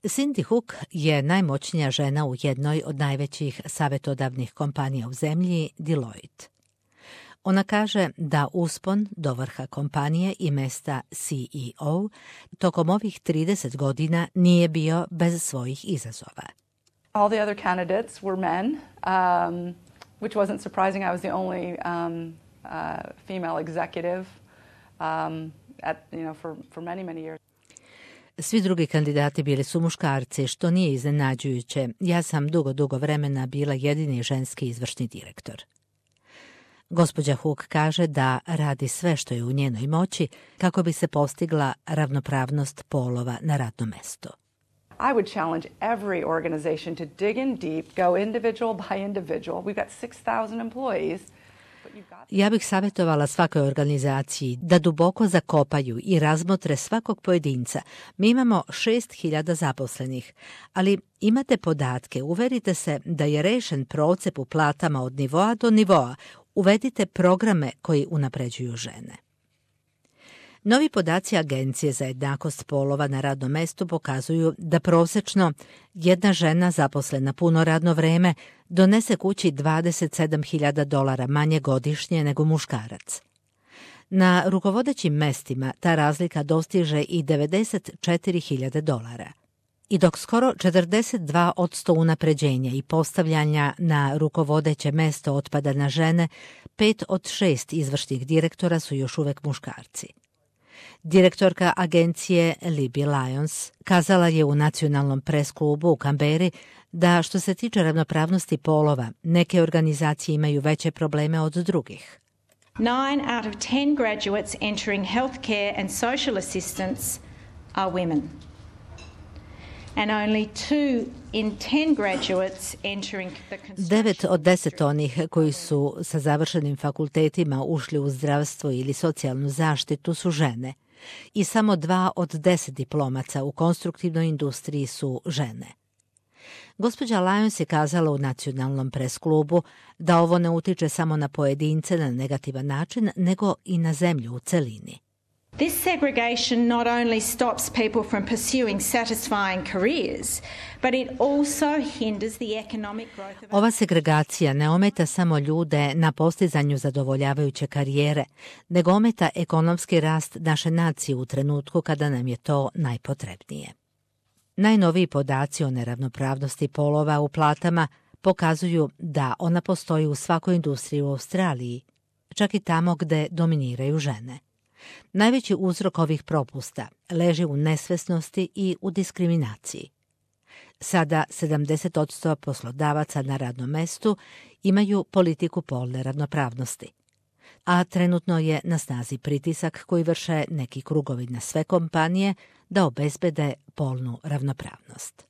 Cindy Hook je najmoćnija žena u jednoj od najvećih savjetodavnih kompanija u zemlji, Deloitte. Ona kaže da uspon do vrha kompanije i mesta CEO tokom ovih 30 godina nije bio bez svojih izazova. All the other candidates were men, which wasn't surprising. I was the only female executive for many years. Svi drugi kandidati bili su muškarci, što nije iznenađujuće. Ja sam dugo vremena bila jedini ženski izvršni direktor. Gospođa Hook kaže da radi sve što je u njenoj moći kako bi se postigla ravnopravnost polova na radnom mestu. I would challenge every organization to dig in deep, go individual by individual. We've got 6,000 employees. Ja bih savjetovala svakoj organizaciji da duboko zakopaju i razmotre svakog pojedinca. Mi imamo 6.000 zaposlenih, ali imate podatke, uverite se da je rešen procep u platama od nivoa do nivoa. Uvedite programe koji unapređuju žene. Novi podaci Agencije za jednakost polova na radnom mestu pokazuju da prosečno jedna žena zaposlena puno radno vreme donese kući $27.000 manje godišnje nego muškarac. Na rukovodećim mestima ta razlika dostiže i $94.000. I dok skoro 42% unapređenja i postavljanja na rukovodeće mesto otpada na žene, 5 od 6 izvršnih direktora su još uvek muškarci. Direktorka agencije Libby Lyons kazala je u nacionalnom pres klubu u Kamberi da što se tiče ravnopravnosti polova, neke organizacije imaju veće probleme od drugih. 9 out of 10 graduates entering healthcare and social assistance are women. And only 2 in 10 graduates entering the construction. 9 od 10 onih koji su sa završenim fakultetima ušli u zdravstvo ili socijalnu zaštitu su žene. I samo 2 od 10 diplomaca u konstruktivnoj industriji su žene. Gospođa Lyons je kazala u nacionalnom pres klubu da ovo ne utiče samo na pojedince na negativan način, nego i na zemlju u celini. This segregation not only stops people from pursuing satisfying careers, but it also hinders the economic growth of... Ova segregacija ne ometa samo ljude na postizanju zadovoljavajuće karijere, nego ometa ekonomski rast naše nacije u trenutku kada nam je to najpotrebnije. Najnoviji podaci o neravnopravnosti polova u platama pokazuju da ona postoji u svakoj industriji u Australiji, čak i tamo gde dominiraju žene. Najveći uzrok ovih propusta leži u nesvesnosti i u diskriminaciji. Sada 70% poslodavaca na radnom mestu imaju politiku polne ravnopravnosti, a trenutno je na snazi pritisak koji vrše neki krugovi na sve kompanije da obezbede polnu ravnopravnost.